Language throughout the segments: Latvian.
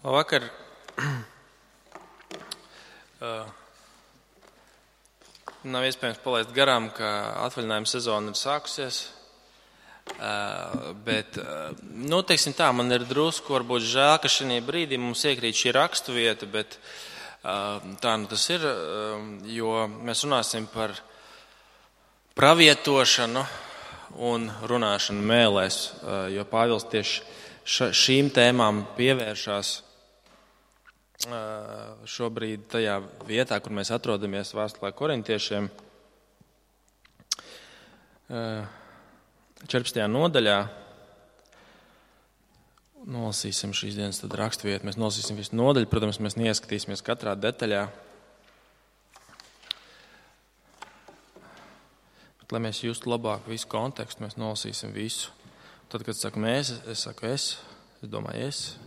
Vakar nav iespējams palaist garām, ka atvaļinājuma sezona ir sākusies. Bet, teiksim tā, man ir drusku varbūt žēl, ka šajā brīdī mums iekrīt šī raksturvieta, bet tā tas ir, jo mēs runāsim par pravietošanu un runāšanu mēlēs, jo Pāvils tieši šīm tēmām pievēršās šobrīd tajā vietā, kur mēs atrodamies vēstulē Korintiešiem, 14. nodaļā. Nolasīsim šīs dienas raksturvietu, mēs nolasīsim visu nodaļu, protams, mēs neieskatīsimies katrā detaļā. Bet, lai mēs justu labāk visu kontekstu, mēs nolasīsim visu. Tad, kad saku mēs, es saku es domāju es.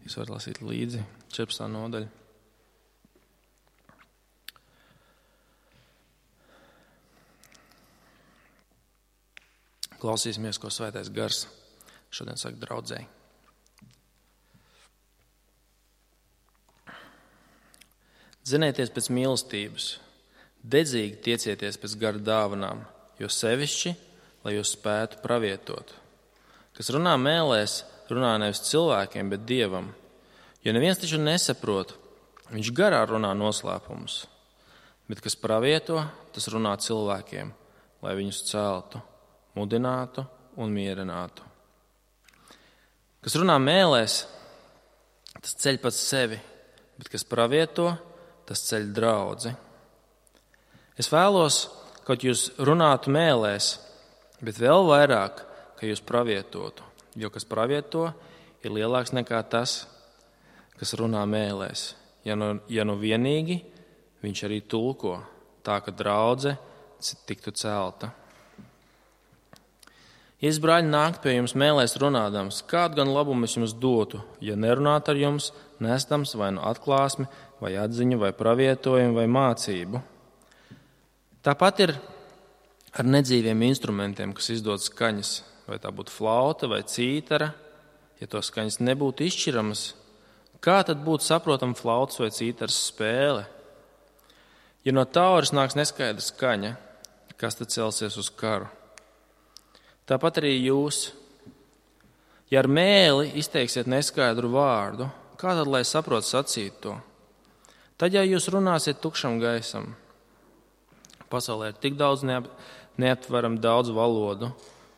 Jūs varat lasīt līdzi 14. nodaļa. Klausīsimies, ko Svētais Gars šodien saka draudzēji. Dzenieties pēc mīlestības, dedzīgi tiecieties pēc gara dāvanām, jo sevišķi, lai jūs spētu pravietot. Kas runā mēlēs, runā nevis cilvēkiem, bet Dievam. Jo neviens taču nesaprot, viņš garā runā noslēpumus, bet kas pravieto, tas runā cilvēkiem, lai viņus celtu, mudinātu un mierinātu. Kas runā mēlēs, tas ceļ pats sevi, bet kas pravieto, tas ceļ draudzi. Es vēlos, kaut jūs runātu mēlēs, bet vēl vairāk, ka jūs pravietotu, jo kas pravieto, ir lielāks nekā tas, kas runā mēlēs. Ja nu vienīgi, viņš arī tulko, tā ka draudze tiktu celta. Jēzus brāļi nākt pie jums mēlēs runādams, kādu gan labumu es jums dotu, ja nerunātu ar jums, nestams vai nu atklāsmi, vai atziņu, vai pravietojumu, vai mācību. Tāpat ir ar nedzīviem instrumentiem, kas izdod skaņas, vai tā būtu flauta vai cītara. Ja to skaņas nebūtu izšķiramas, kā tad būtu saprotama flautas vai cītaras spēle? Ja no tauras nāks neskaidra skaņa, kas tad celsies uz karu? Tāpat arī jūs, ja ar mēli izteiksiet neskaidru vārdu, kā tad lai saprot sacīt to? Tad, ja jūs runāsiet tukšam gaisam, pasaulē ir tik daudz neaptveram daudz valodu,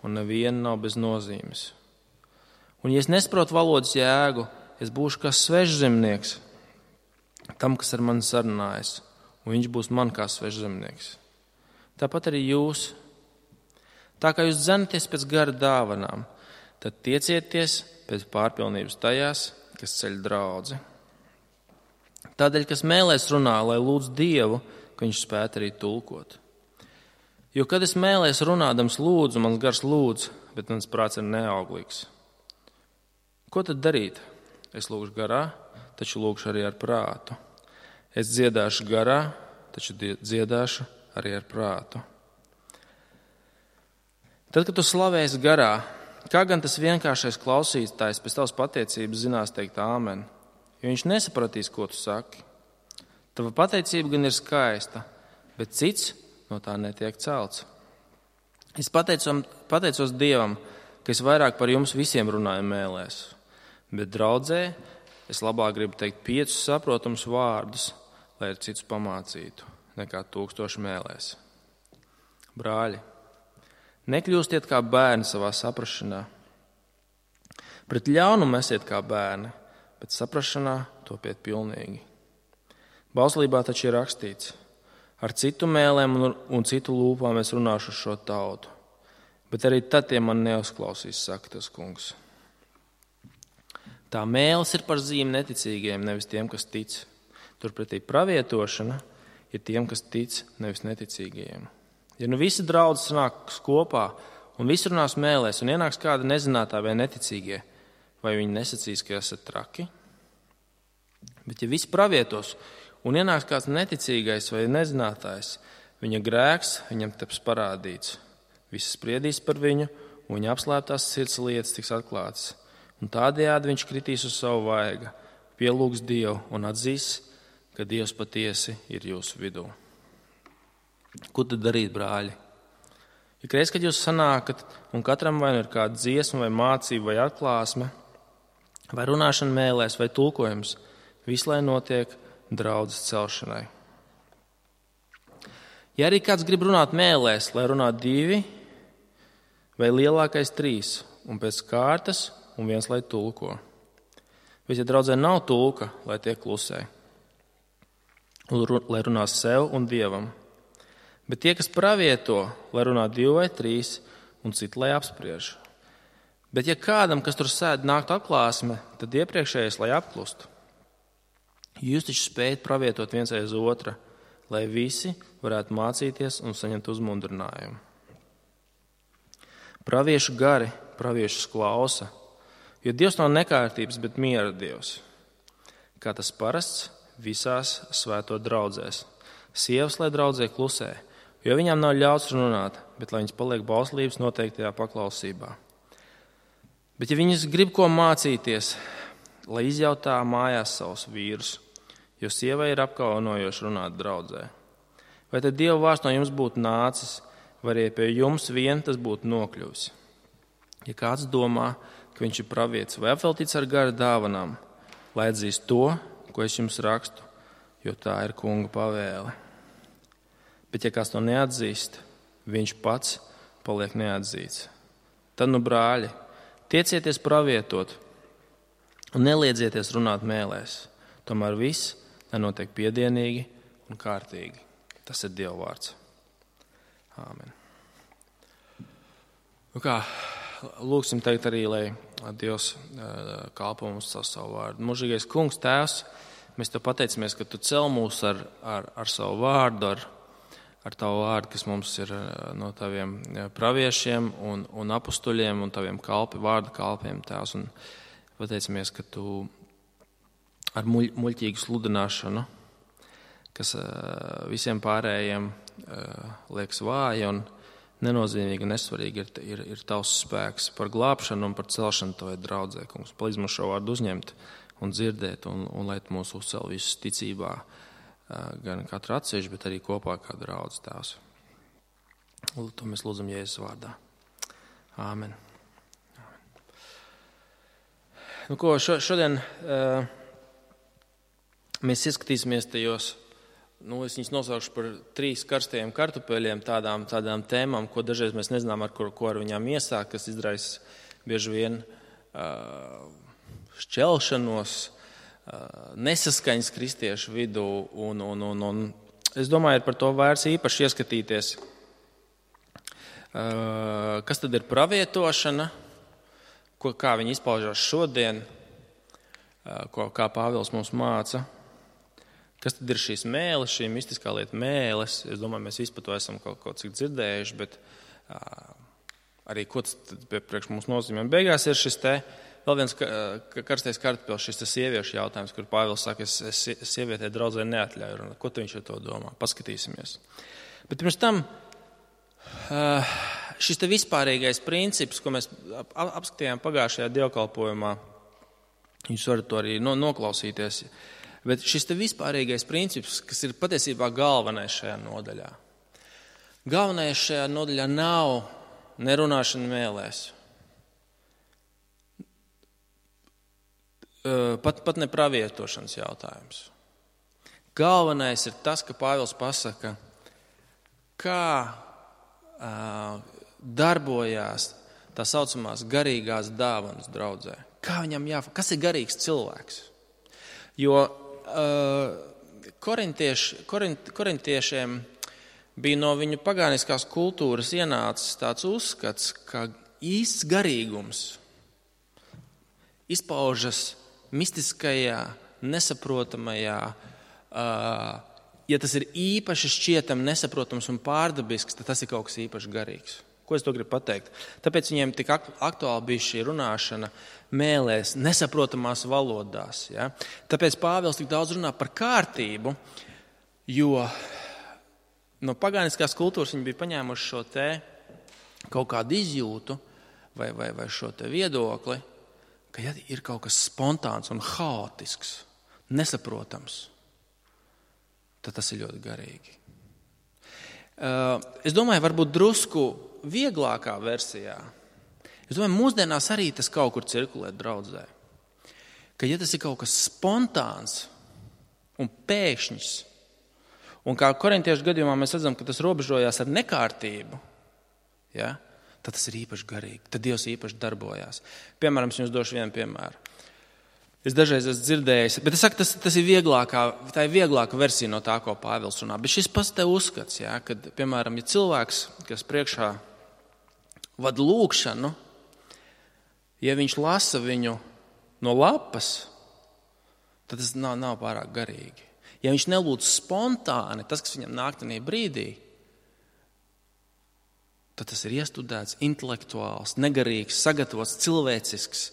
un neviena nav bez nozīmes. Un ja es nesaprotu valodas jēgu, es būšu kā svežzemnieks tam, kas ar mani sarunājas, un viņš būs man kā svežzemnieks. Tāpat arī jūs. Tā kā jūs dzenaties pēc gara dāvanām, tad tiecieties pēc pārpilnības tajās, kas ceļ draudzi. Tādēļ, kas mēlēs runā, lai lūdz Dievu, ka viņš spētu arī tulkot. Jo, kad es mēlēs runādams lūdzu, mans gars lūdz, bet mans prāts ir neauglīgs. Ko tad darīt? Es lūgšu garā, taču lūgšu arī ar prātu. Es dziedāšu garā, taču dziedāšu arī ar prātu. Tad, kad tu slavēsi garā, kā gan tas vienkāršais klausītājs pēc tavas pateicības zinās teikt āmen, jo viņš nesapratīs, ko tu saki. Tava pateicība gan ir skaista, bet cits no tā netiek celts. Es pateicos Dievam, ka es vairāk par jums visiem runāju mēlēs, bet draudzē es labāk gribu teikt 5 saprotamus vārdus, lai ar citus pamācītu, nekā 1000 mēlēs. Brāļi, nekļūstiet kā bērni savā saprašanā. Pret ļaunumu esiet kā bērni, bet saprašanā topiet pilnīgi. Bauslībā taču ir rakstīts, ar citu mēlēm un citu lūpām es runāšu šo tautu, bet arī tad tie man neuzklausīs, saka tas kungs. Tā mēls ir par zīmi neticīgiem, nevis tiem, kas tic. Turpretī pravietošana ir tiem, kas tic, nevis neticīgajiem. Ja nu visi draudzi sanāks kopā un visi runās mēlēs un ienāks kādi nezinātā vai neticīgie, vai viņi nesacīs, ka esat traki? Bet ja visi pravietos un ienāks kāds neticīgais vai nezinātājs, viņa grēks viņam taps parādīts. Visi spriedīs par viņu un viņa apslēptās sirds lietas tiks atklātas. Un tādējādi viņš kritīs uz savu vaigu, pielūgs Dievu un atzīs, ka Dievs patiesi ir jūsu vidū. Ko tad darīt, brāļi? Ikreiz, kad jūs sanākat, un katram vai nu ir kāda dziesma, vai mācība, vai atklāsme, vai runāšana mēlēs, vai tulkojums, viss, lai notiek draudzes celšanai. Ja arī kāds grib runāt mēlēs, lai runā 2 vai lielākais 3, un pēc kārtas, un viens, lai tulko. Bet, ja draudzē nav tulka, lai tiek klusē, lai runā sev un Dievam. Bet tie, kas pravieto, lai runā 2 vai 3, un citi, lai apspriež. Bet, ja kādam, kas tur sēd, nāktu atklāsme, tad iepriekšējais, lai apklustu. Jūs taču spējat pravietot viens aiz otra, lai visi varētu mācīties un saņemt uzmundrinājumu. Praviešu gari, praviešus klausa, jo Dievs nav nekārtības, bet miera Dievs. Kā tas parasts visās svēto draudzēs. Sievas, lai draudzē klusē, jo viņām nav ļauts runāt, bet lai viņas paliek bauslības noteiktajā paklausībā. Bet, ja viņas grib ko mācīties, lai izjautā mājās savus vīrus, jo sievai ir apkaunojoši runāt draudzē. Vai tad Dieva vārds no jums būtu nācis, vai arī pie jums vien tas būtu nokļuvis? Ja kāds domā, ka viņš ir pravietis vai apveltīts ar gara dāvanām, lai atzīst to, ko es jums rakstu, jo tā ir kunga pavēle. Bet, ja kāds to neatzīst, viņš pats paliek neatzīts. Tad, brāļi, tiecieties pravietot un neliedzieties runāt mēlēs. Tomēr viss, lai notiek piedienīgi un kārtīgi. Tas ir Dieva vārds. Āmen. Lūksim teikt arī, lai Dievs kalpo mums savu vārdu. Mūžīgais kungs, tēvs, mēs tev pateicamies, ka tu cel mūs ar savu vārdu, ar tavu vārdu, kas mums ir no taviem praviešiem un apustuļiem un taviem vārdu kalpiem, tēvs. Un pateicamies, ka tu ar muļķīgu sludināšanu, kas visiem pārējiem liekas vāja un nenozīmīgi un nesvarīgi ir tavs spēks par glābšanu un par celšanu tavai draudzē, kungs. Palīdz mums šo vārdu uzņemt un dzirdēt un lai tu mūs uzcel visus ticībā, gan katru atsevišķi, bet arī kopā kā draudz tēvs. To mēs lūdzam Jēzus vārdā. Āmen. Šodien mēs ieskatīsimies tajos, es viņus nosaukšu par 3 karstajiem kartupeļiem, tādām tēmām, ko dažreiz mēs nezinām, ko ar viņām iesākt, kas izraisa bieži vien šķelšanos, nesaskaņas kristiešu vidū, un es domāju, ir par to vērts īpaši ieskatīties, kas tad ir pravietošana, kā viņi izpaužās šodien, kā Pāvils mums māca, kas tad ir šīs mēles, šī mistiskā lieta mēles. Es domāju, mēs visi par to esam kaut cik dzirdējuši, bet arī ko tas priekš mums nozīmē. Beigās ir šis vēl viens karstais kartupēlis, šis sieviešu jautājums, kur Pāvils saka, es sievietē draudzē neatļauju runāt. Ko viņš ar to domā? Paskatīsimies. Bet pirms tam šis vispārīgais princips, ko mēs apskatījām pagājušajā dievkalpojumā, jūs varat to arī noklausīties, bet šis vispārīgais princips, kas ir patiesībā galvenais šajā nodaļā. Galvenais šajā nodaļā nav nerunāšana mēlēs. Pat ne pravietošanas jautājums. Galvenais ir tas, ka Pāvils pasaka, kā darbojās tā saucamās garīgās dāvanas draudzē. Kā viņam kas ir garīgs cilvēks? Jo korintiešiem bija no viņu pagāniskās kultūras ienācis tāds uzskats, ka īsts garīgums izpaužas mistiskajā, nesaprotamajā, ja tas ir īpaši šķietam, nesaprotams un pārdabisks, tad tas ir kaut kas īpaši garīgs. Ko es to gribu pateikt? Tāpēc viņiem tik aktuāli bija šī runāšana mēlēs, nesaprotamās valodās. Ja? Tāpēc Pāvils tik daudz runā par kārtību, jo no pagāniskās kultūras viņi bija paņēmuši šo kaut kādu izjūtu vai šo viedokli, ka ja ir kaut kas spontāns un haotisks, nesaprotams, tad tas ir ļoti garīgi. Es domāju, varbūt drusku vieglākā versijā. Es domāju, mūsdienās arī tas kaut kur cirkulē draudzē. Ka ja tas ir kaut kas spontāns un pēkšņs, un kā korintiešu gadījumā mēs redzam, ka tas robežojās ar nekārtību, ja, tad tas ir īpaši garīgi. Tad Dievs īpaši darbojās. Piemēram, es jums došu vienu piemēru. Es dažreiz esmu dzirdējis, bet es saku, tā ir vieglāka versija no tā, ko Pāvils runā. Bet šis pats te uzskats, ja, kad, piemēram, ja cilvēks, kas priekšā vada lūgšanu, ja viņš lasa viņu no lapas, tad tas nav pārāk garīgi. Ja viņš nelūdz spontāni, tas, kas viņam nāk tajā brīdī, tad tas ir iestudēts, intelektuāls, negarīgs, sagatavots, cilvēcisks.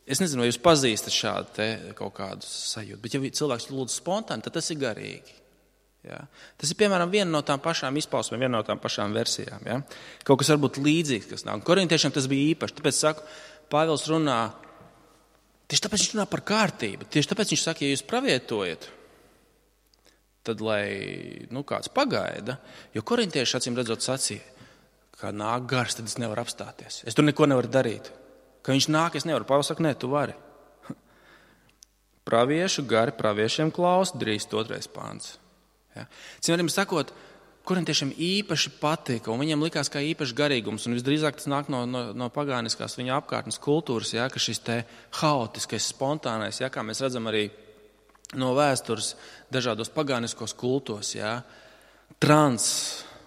Es nezinu, vai jūs pazīstat šādu te kaut kādu sajūtu, bet ja cilvēks lūdz spontāni, tad tas ir garīgi. Ja? Tas ir, piemēram, viena no tām pašām izpausmēm, viena no tām pašām versijām. Ja? Kaut kas varbūt līdzīgs, kas nav. Korintiešiem tas bija īpaši. Tāpēc saku, Pāvils runā, tieši tāpēc viņš runā par kārtību. Tieši tāpēc viņš saka, ja jūs pravietojat, tad lai kāds pagaida, jo korintieši acīm redzot sacīja, ka nāk gars, tad es nevaru apstāties. Es tur neko nevaru darīt. Ka viņš nāk, es nevaru. Pāvils saka, nē, tu vari. Praviešu gari praviešiem klaus, drīz 2. pāns. Ja? Citiem sakot, korintiešiem īpaši patika, un viņiem likās kā īpaši garīgums, un visdrīzāk tas nāk no pagāniskās viņa apkārtnes kultūras, ja, ka šis te haotiskais, spontānais, ja, kā mēs redzam arī no vēstures dažādos pagāniskos kultos, ja, trans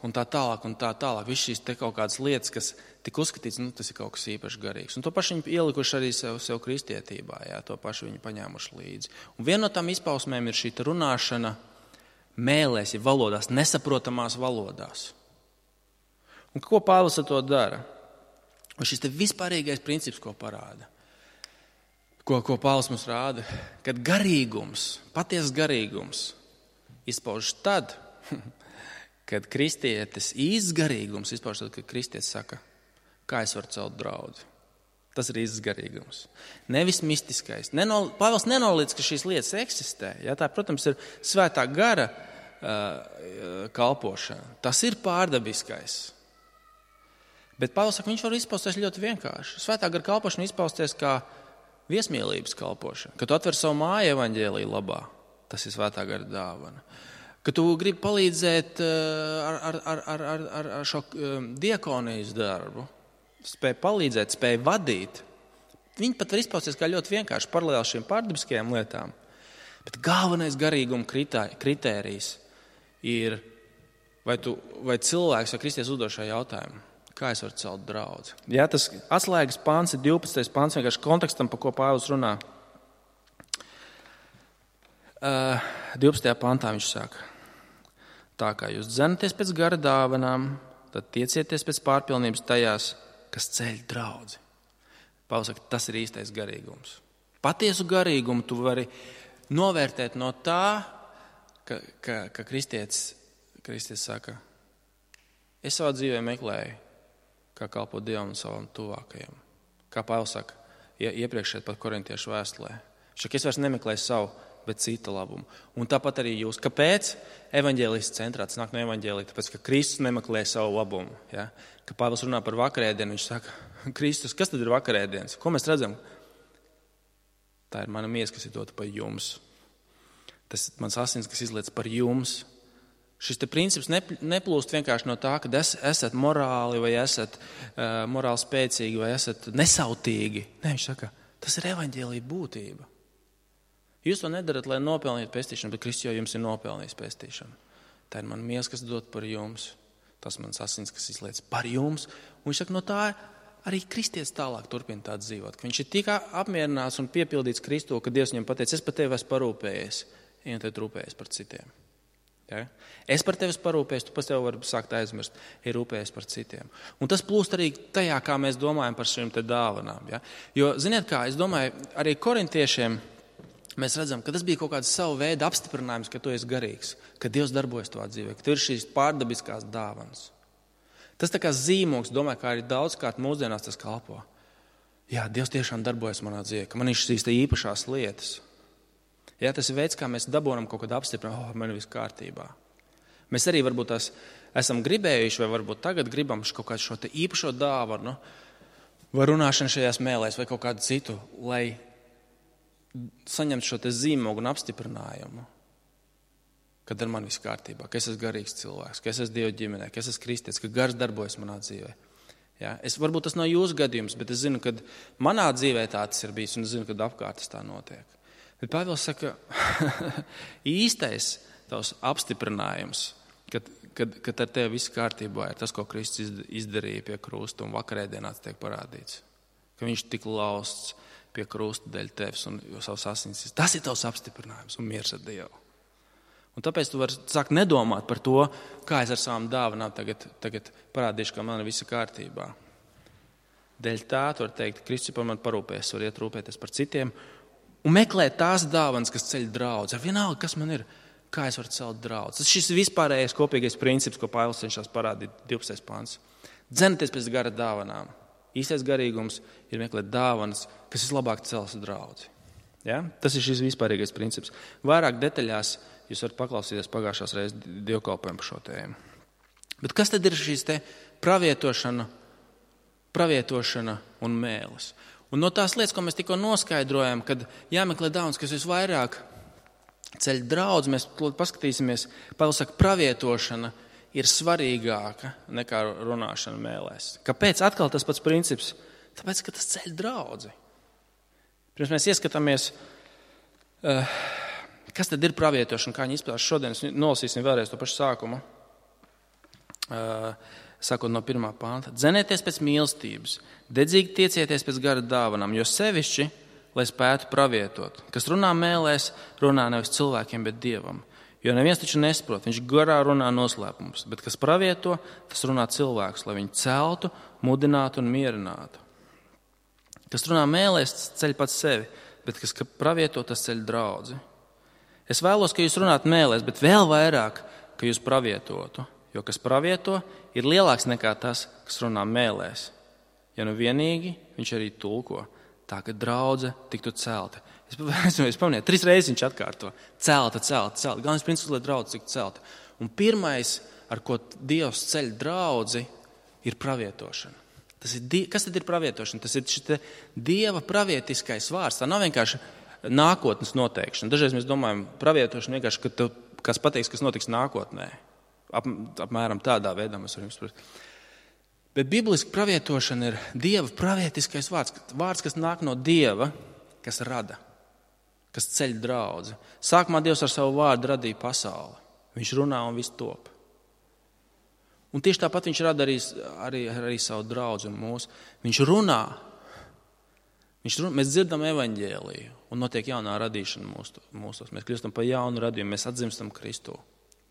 un tā tālāk. Viss šīs te kaut kādas lietas, kas tika uzskatīts, tas ir kaut kas īpaši garīgs. Un to pašu viņi ielikuši arī sev kristietībā, jā, to pašu viņi paņēmuši līdzi. Un viena no tām izpausmēm ir šī runāšana mēlēs, ja valodās, nesaprotamās valodās. Un ko Pāvils ar to dara? Un šis te vispārīgais princips, ko parāda, ko Pāvils mums rāda, kad garīgums, patiesas garīgums izpaužas tad, kad kristietis īsts izpaužas tad, kad kristietis saka, kā es varu celt draudzi. Tas ir īsts garīgums. Nevis mistiskais. Pāvils nenoliedz, ka šīs lietas eksistē. Ja, tā, protams, ir svētā gara kalpošana. Tas ir pārdabiskais. Bet Pāvils saka, viņš var izpausties ļoti vienkārši. Svētā gara kalpošana izpausties kā viesmīlības kalpošana. Kad tu atver savu māju evaņģēlija labā, tas ir svētā gara dāvana. Ka tu gribi palīdzēt ar šo diakonijas darbu, spēj palīdzēt, spēj vadīt. Viņi pat var izpausties kā ļoti vienkārši paralēli šīm pārdabiskajām lietām. Bet galvenais garīguma kritērijs ir, vai cilvēks vai kristietis uzdod šo jautājumu, kā es varu celt draudzi. Jā, tas atslēgas pāns ir 12. pāns, vienkārši kontekstam, par ko Pāvils runā. 12. pāntā viņš saka, tā kā jūs dzenaties pēc gara dāvanām, tad tiecieties pēc pārpilnības tajās, kas ceļ draudzi. Pāvils saka, tas ir īstais garīgums. Patiesu garīgumu tu vari novērtēt no tā, ka kristietis saka, es savā dzīvē meklēju, kā kalpot Dievam un savam tuvākajam. Kā Pāvils saka, iepriekšēt pat korintiešu vēstulē. Es vairs nemeklēju savu, bet cita labumu. Un tāpat arī jūs. Kāpēc? Evaņģēlists centrā, tas nāk no evaņģēlija, tāpēc, ka Kristus nemeklē savu labumu. Ja? Kad Pāvils runā par vakarēdienu, viņš saka, Kristus, kas tad ir vakarēdienas? Ko mēs redzam? Tā ir mana miesa, kas ir dota par jums. Tas ir mans asins, kas izliec par jums. Šis te princips neplūst vienkārši no tā, ka esat morāli vai esat morāli spēcīgi vai esat nesautīgi. Nē, viņš saka, tas ir evaņģēlija būtība. Jūs to nedarat, lai nopelnītu pestīšanu, bet Kristus jau jums ir nopelnījis pestīšanu. Tā ir mana miesa, kas dot par jums. Tas mans asins, kas izliec par jums. Un viņš saka, no tā arī kristietis tālāk turpina tā dzīvot. Ka viņš ir tik apmierināts un piepildīts Kristu, ka Dievs viņam pateica, es par tevi esmu parūpējies. Un tad rūpējies par citiem. Ja? Es par tevi esmu parūpējies, tu par tevi vari sākt aizmirst, ir rūpējies par citiem. Un tas plūst arī tajā, kā mēs domājam par šīm te dāvanām. Ja? Jo, ziniet kā, es domāju, arī korintiešiem mēs redzam, ka tas bija kaut kāds savu veidu apstiprinājums, ka tu esi garīgs, ka Dievs darbojas tavā dzīvē, ka tev ir šīs pārdabiskās dāvanas. Tas tā kā zīmogs, domāju, kā arī daudzkārt mūsdienās tas kalpo. Jā, Dievs tiešām darbojas manā dzīvē, ka man ir šīs īpašās lietas. Jā, tas ir veids, kā mēs dabūnam kaut kādu apstiprinājumu, man ir viss kārtībā. Mēs arī varbūt tās esam gribējuši, vai varbūt tagad gribam kaut kādu šo te īpašo dāvanu, vai runāšanu šajās mēlēs, vai kaut kādu citu, lai saņemtu šo te zīmogu un apstiprinājumu, kad ar mani viss kārtībā, ka es esmu garīgs cilvēks, ka es esmu Dieva ģimenē, ka es esmu kristietis, ka gars darbojas manā dzīvē. Jā, varbūt tas nav jūsu gadījums, bet es zinu, ka manā dzīvē tā tas ir bijis, un es zinu, ka apkārt tas tā notiek. Bet Pāvils saka, īstais tavs apstiprinājums, kad ar tevi viss kārtībā ir tas, ko Kristus izdarīja pie krusta un vakarēdienāts tiek parādīts. Ka viņš tik lausts pie krusta dēļ tevis un savas asins. Tas ir tavs apstiprinājums un miers ar Dievu. Un tāpēc tu vari sākt nedomāt par to, kā es ar savām dāvanām tagad parādīšu, ka man ir visa kārtībā. Dēļ tā tu vari teikt, Kristus par mani parūpēs, var iet rūpēties par citiem un meklēt tās dāvanas, kas ceļ draudzi. Ar vienalga, kas man ir, kā es varu celt draudzi. Tas šis vispārējais kopīgais princips, ko Pāvils cenšas parādīt 12. pants. Dzenieties pēc gara dāvanām. Īstais garīgums ir meklēt dāvanas, kas vislabāk cels draudzi. Ja? Tas ir šis vispārīgais princips. Vairāk detaļās jūs varat paklausīties pagājušās reizes dievkalpojumu par šo tēmu. Bet kas tad ir šīs te pravietošana un mēlis? Un no tās lietas, ko mēs tikko noskaidrojam, kad jāmeklē dāvanas, kas visvairāk ceļ draudzi, mēs paskatīsimies, Pāvils saka, pravietošana ir svarīgāka nekā runāšana mēlēs. Kāpēc? Atkal tas pats princips. Tāpēc, ka tas ceļ draudzi. Pirms mēs ieskatāmies, kas tad ir pravietošana, kā viņi izpildās šodien, nolasīsim vēlreiz to pašu sākumu. Sākot no 1. panta. Dzenieties pēc mīlestības, dedzīgi tiecieties pēc gara dāvanām, jo sevišķi, lai spētu pravietot. Kas runā mēlēs, runā nevis cilvēkiem, bet Dievam. Jo neviens taču nesaprot, viņš garā runā noslēpumus, bet kas pravieto, tas runā cilvēks, lai viņu celtu, mudinātu un mierinātu. Kas runā mēlēs, tas ceļ pats sevi, bet kas pravieto, tas ceļ draudzi. Es vēlos, ka jūs runātu mēlēs, bet vēl vairāk, ka jūs pravietotu. Jo kas pravieto, ir lielāks nekā tas, kas runā mēlēs. Ja nu vienīgi, viņš arī tulko, tā ka draudze tiktu celta. Es pamanīju, 3 reizes viņš atkārto. Celta. Galvenais princips, lai draudze tiktu celta. Un pirmais, ar ko Dievs ceļ draudzi, ir pravietošana. Kas tad ir pravietošana? Tas ir šis Dieva pravietiskais vārds. Tā nav vienkārši nākotnes noteikšana. Dažreiz mēs domājam, pravietošana vienkārši, ka tev kāds pateiks, kas notiks nākotnē. Apmēram tādā veidā mēs varam izprast. Bet bibliski pravietošana ir Dieva pravietiskais vārds. Vārds, kas nāk no Dieva, kas rada, kas ceļ draudzi. Sākumā Dievs ar savu vārdu radīja pasauli. Viņš runā un viss top. Un tieši tāpat viņš rada arī savu draudzi un mūsu. Viņš runā. Mēs dzirdam evaņģēliju un notiek jaunā radīšana mūsos. Mēs kļūstam par jaunu radījumu, mēs atzimstam Kristu.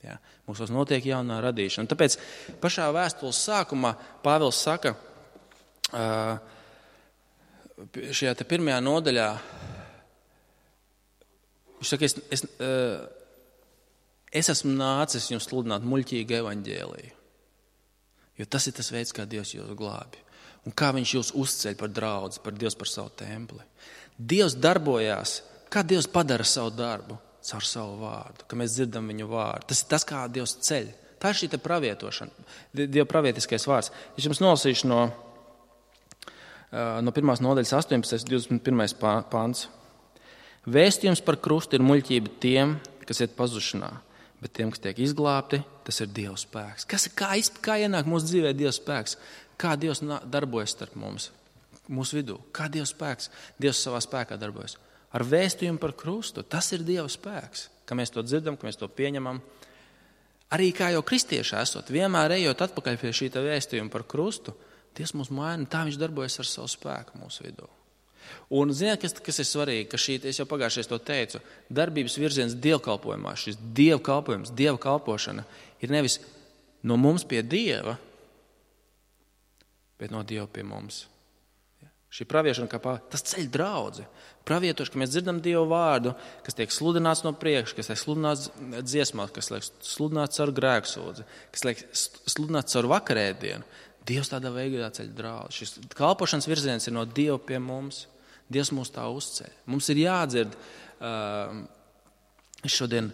Ja, mūsos notiek jaunā radīšana. Un tāpēc pašā vēstules sākumā Pāvils saka, šajā te 1. nodaļā, viņš saka, es esmu nācis jums sludināt muļķīgu evaņģēliju. Jo tas ir tas veids, kā Dievs jūs glābi. Un kā viņš jūs uzceļ par draudzi, par Dievs par savu templi. Dievs darbojās, kā Dievs padara savu darbu? Caur savu vārdu, ka mēs dzirdam viņu vārdu. Tas ir tas, kā Dievs ceļ. Tā ir šī te pravietošana, Dieva pravietiskais vārds. Es jums nolasīšu no 1. nodaļas 18. 21. pants. Vēstījums par krustu ir muļķība tiem, kas iet pazušanā, bet tiem, kas tiek izglābti, tas ir Dieva spēks. Kā ienāk mūsu dzīvē Dieva spēks? Kā Dievs darbojas starp mums, mūsu vidū? Kā Dieva spēks? Dievs savā spēkā darbojas. Ar vēstījumu par krustu. Tas ir Dieva spēks, ka mēs to dzirdam, ka mēs to pieņemam. Arī kā jau kristieši esot, vienmēr ejot atpakaļ pie šī vēstījuma par krustu, Dievs mūs maina, tā viņš darbojas ar savu spēku mūsu vidū. Un ziniet, kas ir svarīgi, ka es jau pagājušajā to teicu, darbības virziens dievkalpojumā, šis dievkalpojums, dieva kalpošana ir nevis no mums pie Dieva, bet no Dieva pie mums. Šī praviešana, tas ceļ draudzi. Pravietoši, ka mēs dzirdam Dievu vārdu, kas tiek sludināts no priekša, kas tiek sludināts dziesmās, kas tiek sludināts caur grēksūdzi, kas tiek sludināts caur vakarēdienu. Dievs tādā veidā ceļ draudzi. Šis kalpošanas virziens ir no Dieva pie mums. Dievs mūs tā uzceļ. Mums ir jādzird, šodien,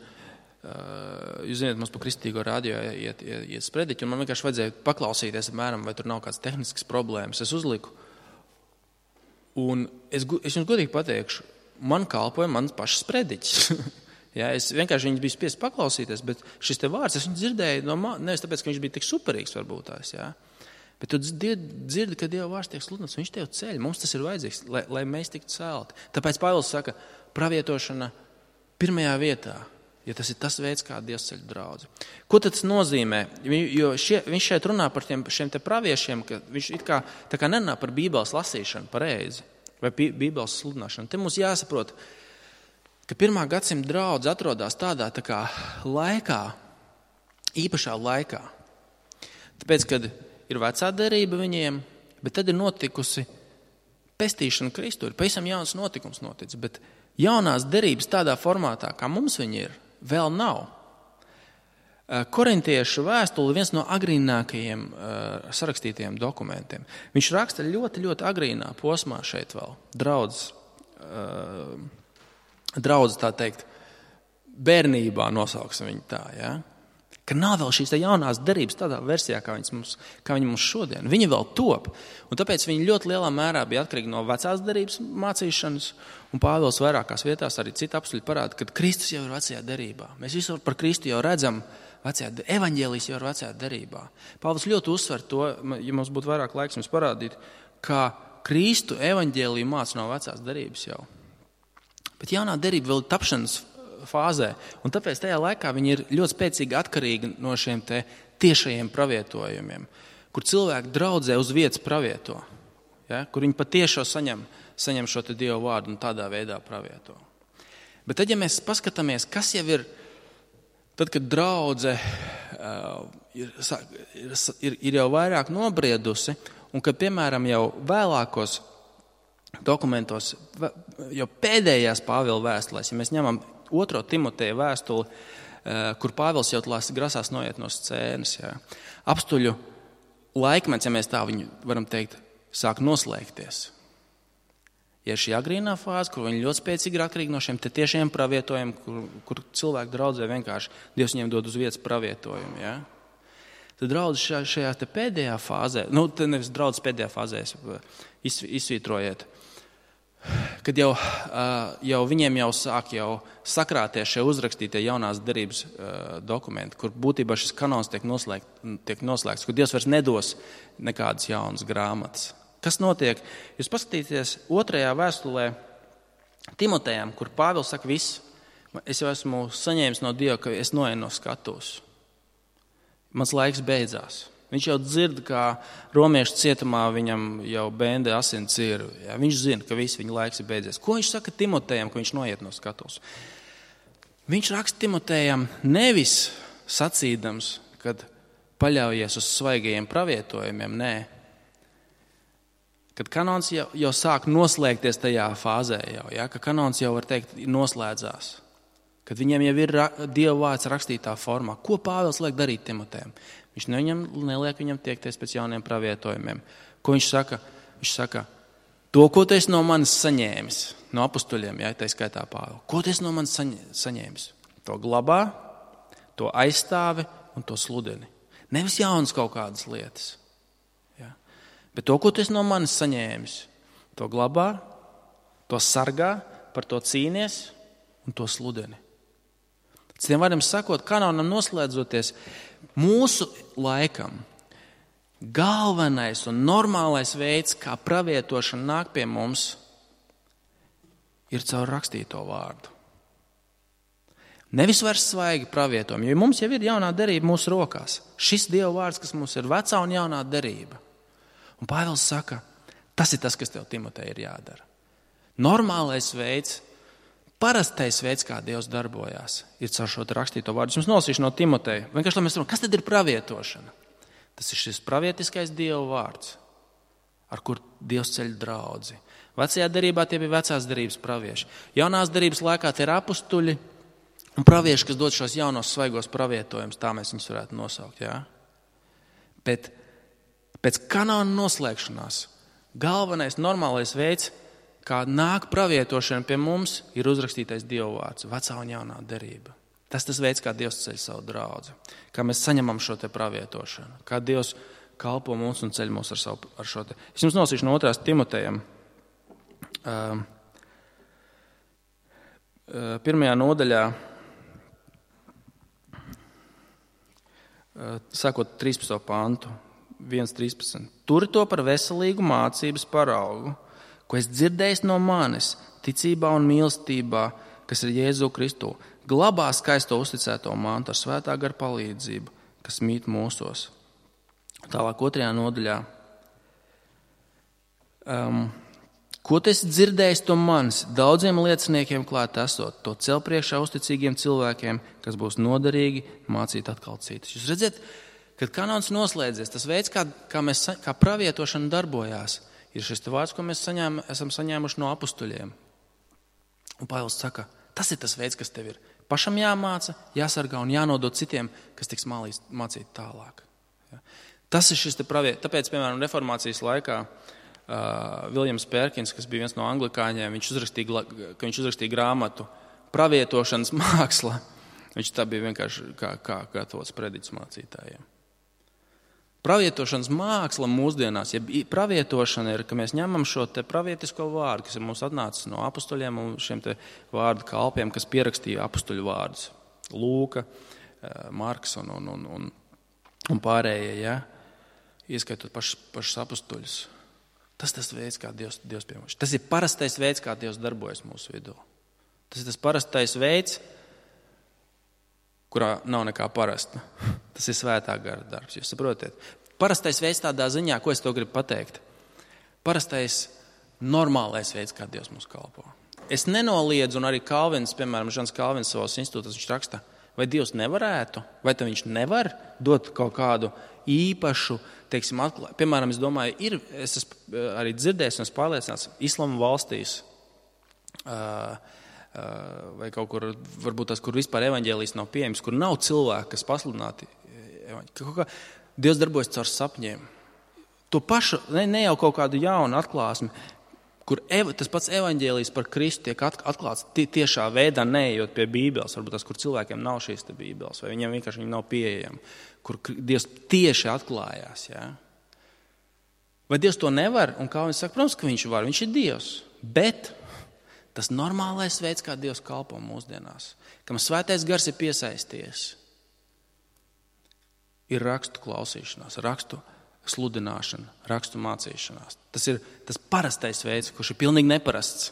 jūs zināt, mums pa kristīgo radio iet sprediķi, un man vienkārši vajadzēja paklausīties, apmēram, vai tur nav kāds tehnisks problēmas. Es uzliku, un es jums godīgi pateikšu, man kalpoja mans pašs sprediķis. Ja, es vienkārši viņu biju spiests paklausīties, bet šis te vārds, es viņu dzirdēju, nevis tāpēc, ka viņš bija tik superīgs varbūt tās, ja. Bet tu dzirdi, ka Dieva vārds tiek sludināts, viņš tev ceļ. Mums tas ir vajadzīgs, lai mēs tiktu celti. Tāpēc Pāvils saka, pravietošana pirmajā vietā, ja tas ir tas veids, kā Dievs ceļ draudzi. Ko tas nozīmē? Jo viņš šeit runā par šiem te praviešiem, ka viņš it kā nerunā par Bībeles lasīšanu pareizi vai Bībeles sludināšanu. Te mums jāsaprot, ka 1. gadsimta draudze atrodas tādā tā kā laikā, īpašā laikā. Tāpēc, kad ir vecā derība viņiem, bet tad ir notikusi pestīšana Kristu. Ir pavisam jauns notikums noticis, bet jaunās derības tādā formātā, kā mums viņi ir, vēl nav. Korintiešu vēstule viens no agrīnākajiem sarakstītajiem dokumentiem. Viņš raksta ļoti, ļoti agrīnā posmā šeit vēl. Draudz tā teikt, bērnībā nosauksim viņu tā, ja? Ka nav vēl šīs jaunās derības tādā versijā, kā viņi mums šodien. Viņi vēl top, un tāpēc viņi ļoti lielā mērā bija atkarīgi no vecās derības mācīšanas, un Pāvils vairākās vietās arī citi apstuļi parāda, ka Kristus jau ir vecajā derībā. Mēs visu par Kristu jau redzam, evaņģēlijs jau ir vecajā derībā. Pāvils ļoti uzsver to, ja mums būtu vairāk laiks jums parādīt, ka Kristu evaņģēliju māca no vecās derības jau. Bet jaunā derība vēl ir tapšanas fāzē, un tāpēc tajā laikā viņi ir ļoti spēcīgi atkarīgi no šiem te tiešajiem pravietojumiem, kur cilvēki draudzē uz vietas pravieto, ja? Kur viņi patiešo saņem šo te Dieva vārdu un tādā veidā pravieto. Bet tad, ja mēs paskatāmies, kas jau ir, tad, kad draudze ir jau vairāk nobriedusi, un kad, piemēram, jau vēlākos dokumentos, jau pēdējās Pāvila vēstulēs, ja mēs ņemam 2. Timoteja vēstuli, kur Pāvils jau grasās noiet no scēnas. Jā. Apstuļu laikmets, ja mēs tā viņu varam teikt, sāk noslēgties. Ja šī agrīnā fāze, kur viņi ļoti spēcīgi ir atkarīgi no šiem tiešiem pravietojumiem, kur cilvēki draudzē vienkārši Dievs viņiem dod uz vietas pravietojumu. Jā. Tad draudze šajā te pēdējā fāzē, nevis draudze pēdējā fāzē, izsvītrojiet, kad jau viņiem jau sāk sakrāties šie uzrakstītie jaunās derības dokumenti, kur būtībā šis kanons tiek noslēgts, kur Dievs vairs nedos nekādas jaunas grāmatas. Kas notiek? Jūs paskatīties 2. vēstulē Timotejam, kur Pāvils saka viss, es jau esmu saņēmis no Dieva, ka es noeju no skatuves. Mans laiks beidzās. Viņš jau dzird, kā romiešu cietumā viņam jau bēnde asins ir. Ja? Viņš zina, ka viss viņa laiks ir beidzies. Ko viņš saka Timotejam, ka viņš noiet no skatuves? Viņš raksta Timotejam nevis sacīdams, kad paļaujies uz svaigajiem pravietojumiem, nē. Kad kanons jau sāk noslēgties tajā fāzē, ja? Ka kanons jau, var teikt, noslēdzās. Kad viņiem jau ir Dieva vārds rakstītā formā. Ko Pāvils liek darīt Timotejam? Viņš neliek viņam tiekties pēc jauniem pravietojumiem. Ko viņš saka? Viņš saka, to, ko tu esi no manis saņēmis, no apustuļiem, ja, tā skaitā Pāvila. Ko tu esi no manis saņēmis? To glabā, to aizstāvi un to sludini. Nevis jaunas kaut kādas lietas. Ja. Bet to, ko tu esi no manis saņēmis, to glabā, to sargā, par to cīnies un to sludini. Citiem vārdiem sakot, kanonam noslēdzoties, mūsu laikam galvenais un normālais veids, kā pravietošana nāk pie mums, ir caur rakstīto vārdu. Nevis vairs svaigi pravietojumi, jo mums jau ir jaunā derība mūsu rokās. Šis Dieva vārds, kas mums ir vecā un jaunā derība. Un Pāvils saka, tas ir tas, kas tev, Timotej, ir jādara. Normālais veids, parastais veids, kā Dievs darbojās, ir caur šo rakstīto vārdu. Es jums nolasīšu no Timoteja. Vienkārši, lai mēs runājam, kas tad ir pravietošana? Tas ir šis pravietiskais Dieva vārds, ar kur Dievs ceļ draudzi. Vecajā derībā tie bija vecās derības pravieši. Jaunās derības laikā tie ir apustuļi un pravieši, kas dod šos jaunos svaigos pravietojumus, tā mēs viņus varētu nosaukt. Jā? Bet Pēc kanāna noslēgšanās galvenais normālais veids, kā nāk pravietošana pie mums, ir uzrakstītais Dieva vārds, vecā un jaunā derība. Tas veids, kā Dievs ceļ savu draudzi, kā mēs saņemam šo te pravietošanu, kā Dievs kalpo mums un ceļ mūs ar šo te. Es jums nosīšu no 2. Timotejam. 1. nodaļā, sākot 13. pantu, 1.13. Turi to par veselīgu mācības paraugu, ko es dzirdējis no manis, ticībā un mīlestībā, kas ir Jēzu Kristu. Glabā skaisto uzticēto mantu ar svētā gara palīdzību, kas mīt mūsos. Tālāk 2. nodaļā. Ko tu esi dzirdējis no manis, daudziem lieciniekiem klāt esot, to cel priekšā uzticīgiem cilvēkiem, kas būs noderīgi mācīt atkal citus. Jūs redzat, kad kanons noslēdzies, tas veids, kā pravietošana darbojās, ir šis vārds, ko mēs esam saņēmuši no apustuļiem. Un Pāvils saka, tas ir tas veids, kas tev ir pašam jāmāca, jāsargā un jānodod citiem, kas tiks mācīt tālāk. Ja. Tas ir šis te tāpēc, piemēram, reformācijas laikā Viljams Pērkins, kas bija viens no anglikāņiem, viņš uzrakstīja grāmatu Pravietošanas māksla. Viņš tā bija vienkārši kā gatavots prediķis mācītājiem. Pravietošanas māksla mūsdienās, ja pravietošana ir, ka mēs ņemam šo te pravietisko vārdu, kas ir mums atnācis no apustuļiem un šiem te vārdu kalpiem, kas pierakstīja apustuļu vārdus. Lūka, Marks un pārējie, ja? Ieskaitot pašus apustuļus. Tas veids, kā Dievs pie mums. Tas ir parastais veids, kā Dievs darbojas mūsu vidū. Tas ir tas parastais veids, kurā nav nekā parasta. Tas ir svētā gara darbs, jūs saprotiet. Parastais veids tādā ziņā, ko es to gribu pateikt. Parastais normālais veids, kā Dievs mums kalpo. Es nenoliedzu, un arī Kalvins, piemēram, Žans Kalvins savos institūtos, viņš raksta, vai Dievs nevarētu, vai tad viņš nevar dot kaut kādu īpašu, teiksim, atklājumu. Piemēram, es domāju, es esmu arī dzirdējis un es pārliecināts, islama valstīs, vai kaut kur, varbūt tas, kur vispār evaņģēlijs nav pieejams, kur nav cilvēki, kas pasludināti. Dievs darbojas caur sapņiem. To pašu, ne jau kaut kādu jaunu atklāsmi, kur tas pats evaņģēlijs par Kristu tiek atklāts tiešā veidā, neejot pie Bībeles, varbūt tas, kur cilvēkiem nav šīs te Bībeles, vai viņiem vienkārši nav pieejama, kur Dievs tieši atklājās. Ja? Vai Dievs to nevar? Un kā viņš saka, protams, ka viņš var, viņš ir Dievs, bet tas normālais veids, kā Dievs kalpo mūsdienās, kam svētais gars ir piesaisties, ir rakstu klausīšanās, rakstu sludināšana, rakstu mācīšanās. Tas ir tas parastais veids, kurš ir pilnīgi neparasts.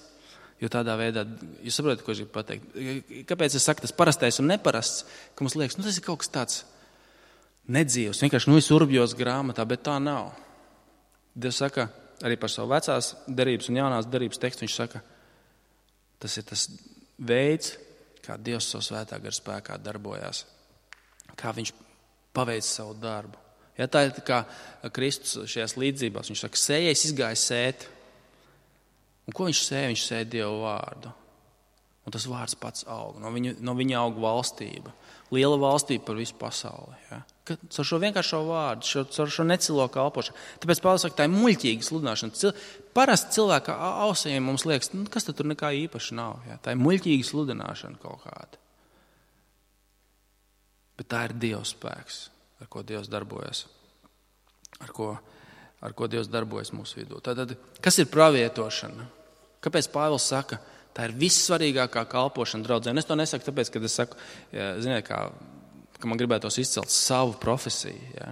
Jo tādā veidā, jūs saprotat, ko es gribu pateikt. Kāpēc es saku tas parastais un neparasts, ka mums liekas, tas ir kaut kas tāds nedzīvs, vienkārši es urbjos grāmatā, bet tā nav. Dievs saka arī par savu vecās derības un jaunās derības tekstu, viņš saka, tas ir tas veids, kā Dievs savu svētā gara spēkā darbojās, kā viņš paveic savu darbu. Ja, tā ir kā Kristus šajās līdzībās. Viņš saka, sējais izgāja sēt. Un ko viņš sēja? Viņš sēja Dievu vārdu. Un tas vārds pats aug. No viņa aug valstība. Liela valstība par visu pasauli. Ja. Caur šo vienkāršo vārdu, caur šo necilo kalpošanu. Tāpēc Pāvils saka, tā ir muļķīga sludināšana. Parasti cilvēka ausiem mums liekas, kas tad tur nekā īpaši nav. Ja. Tā ir muļķīga sludināšana kaut kāda. Bet tā ir Dieva spēks, ar ko Dievs darbojas, ar ko Dievs darbojas mūsu vidū. Tātad, kas ir pravietošana? Kāpēc Pāvils saka, tā ir vissvarīgākā kalpošana draudzē? Un es to nesaku tāpēc, ka es saku, ziniet, ka man gribētos izcelt savu profesiju. Ja?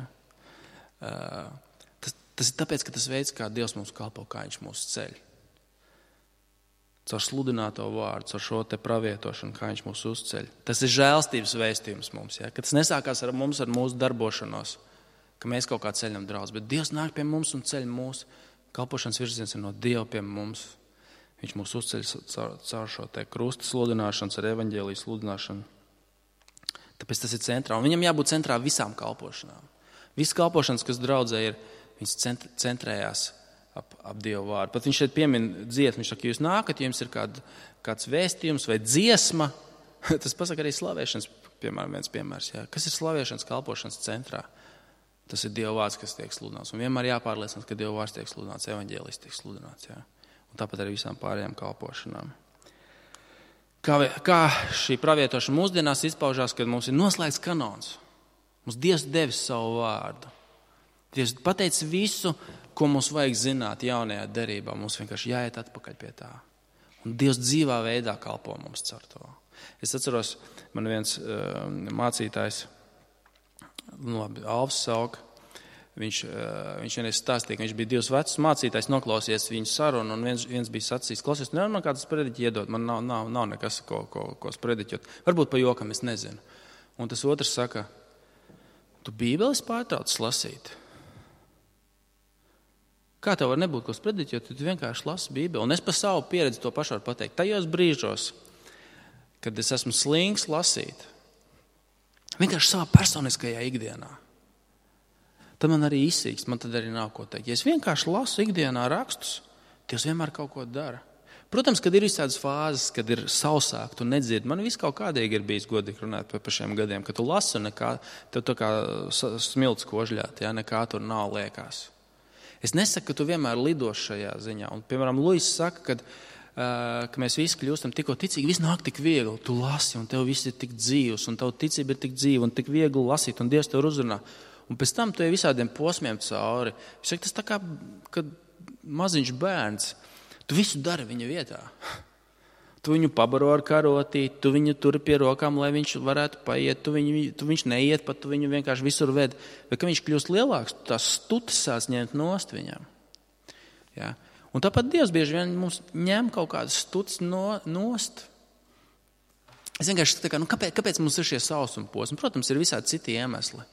Tas ir tāpēc, ka tas veids, kā Dievs mums kalpo, kā viņš mūs ceļ. Caur sludināto vārdu, caur šo te pravietošanu, kā viņš mūs uzceļ. Tas ir žēlstības vēstījums mums, ja? Ka tas nesākās ar mums, ar mūsu darbošanos, ka mēs kaut kā ceļam draudz, bet Dievs nāk pie mums un ceļ mūsu. Kalpošanas virziens ir no Dieva pie mums. Viņš mūs uzceļ caur šo te krusta sludināšanas, ar evaņģēliju sludināšanu. Tāpēc tas ir centrā. Un viņam jābūt centrā visām kalpošanām. Visas kalpošanas, kas draudzē ir, viņas centrējās ap Dievu vārdu. Pat viņš šeit piemin dziesmu, viņš saka, jūs nākat, jums ir kāds vēstījums vai dziesma. Tas pasaka arī slavēšanas, piemēram, viens piemērs. Jā. Kas ir slavēšanas kalpošanas centrā? Tas ir Dieva vārds, kas tiek sludināts. Un vienmēr jāpārliecinās, ka Dieva vārds tiek sludināts, evaņģēlijs tiek sludināts. Jā. Un tāpat arī visām pārējām kalpošanām. Kā šī pravietošana mūsdienās izpaužās, kad mums ir noslēgts kanons. Mums Dievs devis savu vārdu. Dievs pateica visu, ko mums vajag zināt jaunajā derībā. Mums vienkārši jāiet atpakaļ pie tā. Un Dievs dzīvā veidā kalpo mums caur to. Es atceros, man viens mācītājs, Alvs Sauka, viņš vienreiz stāstīja, ka viņš bija 2 vecs mācītājs, noklausies viņu sarunu, un viens bija sacījis, klausies, nevar man kādas sprediķi iedot, man nav nekas, ko sprediķot. Varbūt pa jokam, es nezinu. Un tas otrs saka, tu Bībeles pārtrauc lasīt. Kā tev var nebūt ko sprediķot, tu vienkārši lasi Bībeli. Un es pa savu pieredzi to pašu varu pateikt. Tajos brīžos, kad es esmu slings lasīt, vienkārši savā personiskajā ikdienā, tad man arī izsīkst, man tad arī nav ko teikt. Ja es vienkārši lasu ikdienā rakstus, Dievs vienmēr kaut ko dara. Protams, kad ir visādas fāzes, kad ir sausāk, tu nedzirdi. Man viss kaut kādīgi ir bijis godīgi runāt par šiem gadiem, ka tu lasi un nekā, tev tā kā smilts kožļāt, ja, nekā tur nav liekas. Es nesaku, ka tu vienmēr lidos šajā ziņā. Un, piemēram, Luis saka, ka mēs visi kļūstam tikko ticīgi, viss nāk tik viegli. Tu lasi un tev viss ir tik dzīvs un tev ticība ir tik dzīva un tik viegli lasīt un Dievs tev uzrunā. Un pēc tam tu ej visādiem posmiem cauri. Es saku, tas tā kā, kad maziņš bērns, tu visu dari viņa vietā. Tu viņu pabaro ar karotīti, tu viņu turi pie rokām, lai viņš varētu paiet, tu viņš neiet, pat tu viņu vienkārši visur ved. Bet, kad viņš kļūst lielāks, tu tās stutas sāc ņemt nost viņam. Ja? Un tāpat Dievs bieži vien mums ņem kaut kādas stutas nost. Es vienkārši tā kā, kāpēc mums ir šie sausuma posmi? Protams, ir visādi citi iemesli.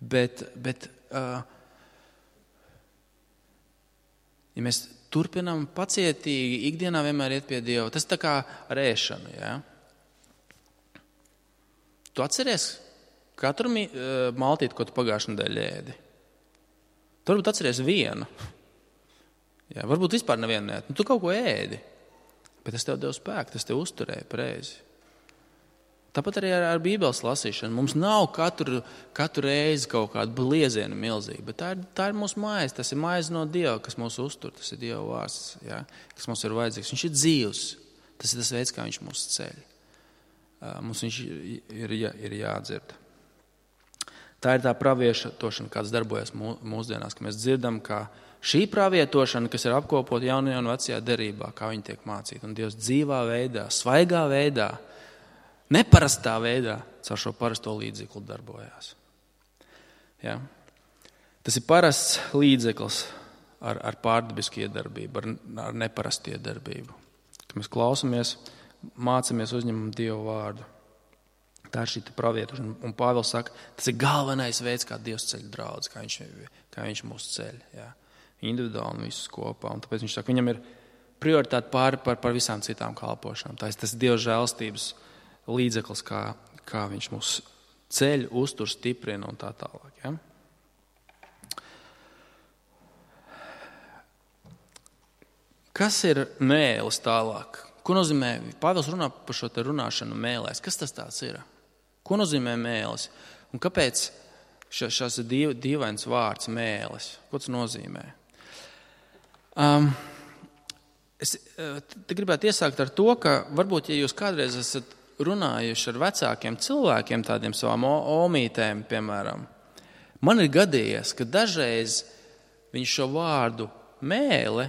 Bet ja mēs turpinām pacietīgi ikdienā vienmēr iet pie Dieva, tas tā kā ar ēšanu. Ja? Tu atceries katru maltīti, ko tu pagājušajā nedēļā ēdi? Tu varbūt atceries vienu. Ja? Varbūt vispār nevienu neēdi. Tu kaut ko ēdi, bet tas tev deva spēku, tas tev uzturēja pareizi. Tāpat arī ar Bībeles lasīšanu. Mums nav katru reizi kaut kāda blieziena milzīga, bet tā ir mūsu mājas, tas ir mājas no Dieva, kas mūs uztur, tas ir Dieva vārds, ja, kas mums ir vajadzīgs. Viņš ir dzīvs, tas ir tas veids, kā viņš mūs ceļ. Mums viņš ir jādzird. Tā ir tā pravietošana, kāds darbojas mūsdienās, ka mēs dzirdam, ka šī pravietošana, kas ir apkopot jaunajā un vecajā derībā, kā viņi tiek mācīti, un Dievs dzīvā veidā, svaigā veidā, neparastā veidā caur šo parasto līdzekli darbojās. Ja? Tas ir parasts līdzeklis ar pārdabisku iedarbību, ar neparastu iedarbību. Kad mēs klausamies, mācamies, uzņemam Dievu vārdu. Tā ir šī pravietošana. Un Pāvils saka, tas ir galvenais veids, kā Dievs ceļ draudzi, kā viņš mūs ceļ. Ja? Individuāli un visus kopā. Un tāpēc viņš saka, viņam ir prioritāte par visām citām kalpošanām. Tas ir Dieva žēlstības līdzeklis, kā viņš mūs ceļ, uztur, stiprina un tā tālāk. Ja? Kas ir mēlis tālāk? Ko nozīmē? Pāvils runā par šo te runāšanu mēlēs. Kas tas tāds ir? Ko nozīmē mēlis? Un kāpēc šās dīvains vārds mēlis? Ko tas nozīmē? Es te gribētu iesākt ar to, ka varbūt, ja jūs kādreiz esat runājuši ar vecākiem cilvēkiem, tādiem savām omītēm, piemēram, man ir gadījies, ka dažreiz viņi šo vārdu mēle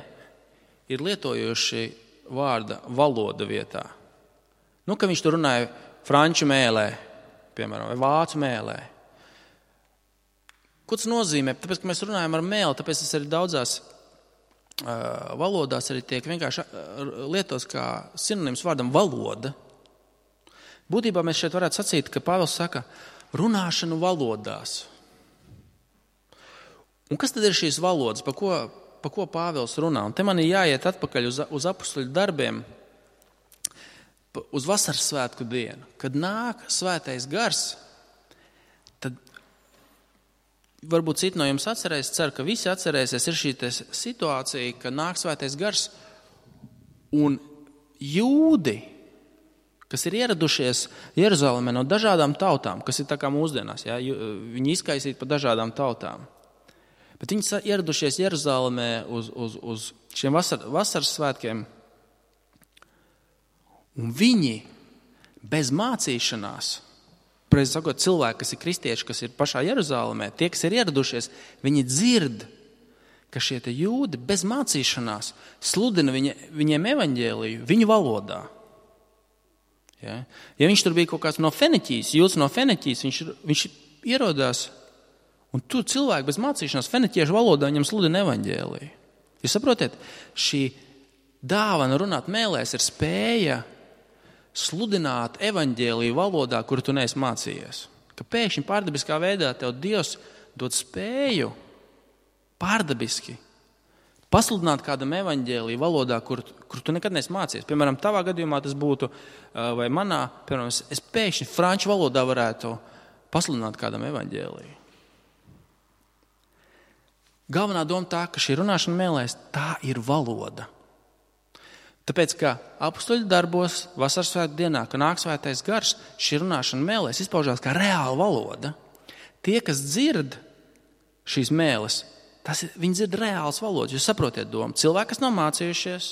ir lietojuši vārda valoda vietā. Ka viņš tur runāja franču mēlē, piemēram, vai vācu mēlē. Ko tas nozīmē? Tāpēc, ka mēs runājam ar mēli, tāpēc tas arī daudzās valodās arī tiek vienkārši lietots kā sinonīms vārdam valoda. Būtībā mēs šeit varētu sacīt, ka Pāvils saka runāšanu valodās. Un kas tad ir šīs valodas, pa ko Pāvils runā? Un te man ir jāiet atpakaļ uz apustuļu darbiem, uz vasaras svētku dienu. Kad nāk svētais gars, tad varbūt citi no jums atcerēs, ceru, ka visi atcerēsies, ir šī situācija, ka nāk svētais gars un jūdi, kas ir ieradušies Jeruzalemē no dažādām tautām, kas ir tā kā mūsdienās. Ja? Viņi izkaisīti pa dažādām tautām. Bet viņi ieradušies Jeruzalemē uz šiem vasaras svētkiem. Un viņi bez mācīšanās, precīzi sakot, cilvēki, kas ir kristieši, kas ir pašā Jeruzalemē, tie, kas ir ieradušies, viņi dzird, ka šie te jūdi bez mācīšanās sludina viņiem evaņģēliju viņu valodā. Ja viņš tur bija kaut kāds no Feniķijas, jūds no Feniķijas, viņš ierodās, un tur cilvēki bez mācīšanās feniķiešu valodā viņam sludina evaņģēliju. Jūs saprotiet, šī dāvana runāt mēlēs ir spēja sludināt evaņģēliju valodā, kuru tu neesi mācījies. Ka pēkšņi pārdabiskā veidā tev Dievs dod spēju pārdabiski pasludināt kādam evaņģēliju valodā, kur tu nekad neesi mācījies. Piemēram, tavā gadījumā tas būtu, vai manā, piemēram, es pēkšņi franču valodā varētu pasludināt kādam evaņģēliju. Galvenā doma tā, ka šī runāšana mēlēs, tā ir valoda. Tāpēc, ka apustuļu darbos, vasaras svētku dienā, ka nāk svētais gars, šī runāšana mēlēs izpaužās kā reāla valoda. Tie, kas dzird šīs mēles, viņi dzird reāls valodas. Jūs saprotiet domu. Cilvēki, kas nav mācījušies,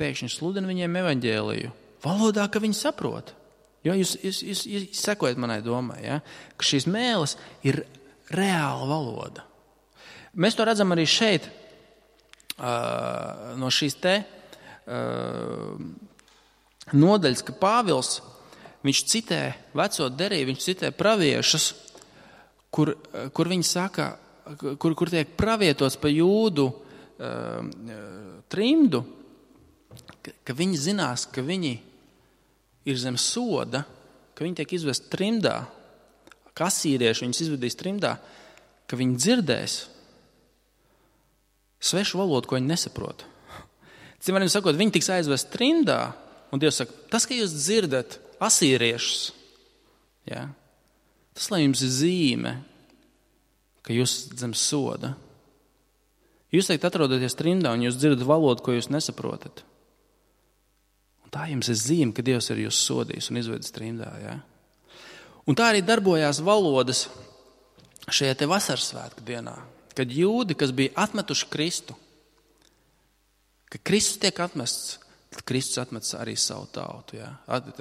pēkšņi sludina viņiem evaņģēliju valodā, ka viņi saprot. Jo jūs sekojat manai domai, ja? Ka šīs mēles ir reāla valoda. Mēs to redzam arī šeit, no šīs te nodaļas, ka Pāvils, viņš citē veco derību, viņš citē praviešus, kur viņi saka, kur tiek pravietots pa jūdu trimdu, ka viņi zinās, ka viņi ir zem soda, ka viņi tiek izvest trimdā, ka asīrieši viņus izvedīs trimdā, ka viņi dzirdēs svešu valodu, ko viņi nesaprot. Citiem sakot, viņi tiks aizvest trimdā, un Dievs saka, tas, ka jūs dzirdat asīriešus, ja, tas, lai jums ir zīme, ka jūs zem soda. Jūs teikt atrodaties trimdā, un jūs dzirdat valodu, ko jūs nesaprotat. Un tā jums ir zīme, ka Dievs ir jūs sodījis un izvedis trimdā, ja. Un tā arī darbojās valodas šajā te vasaras svētku dienā, kad jūdi, kas bija atmetuši Kristu, ka Kristus tiek atmests, tad Kristus atmetis arī savu tautu, ja?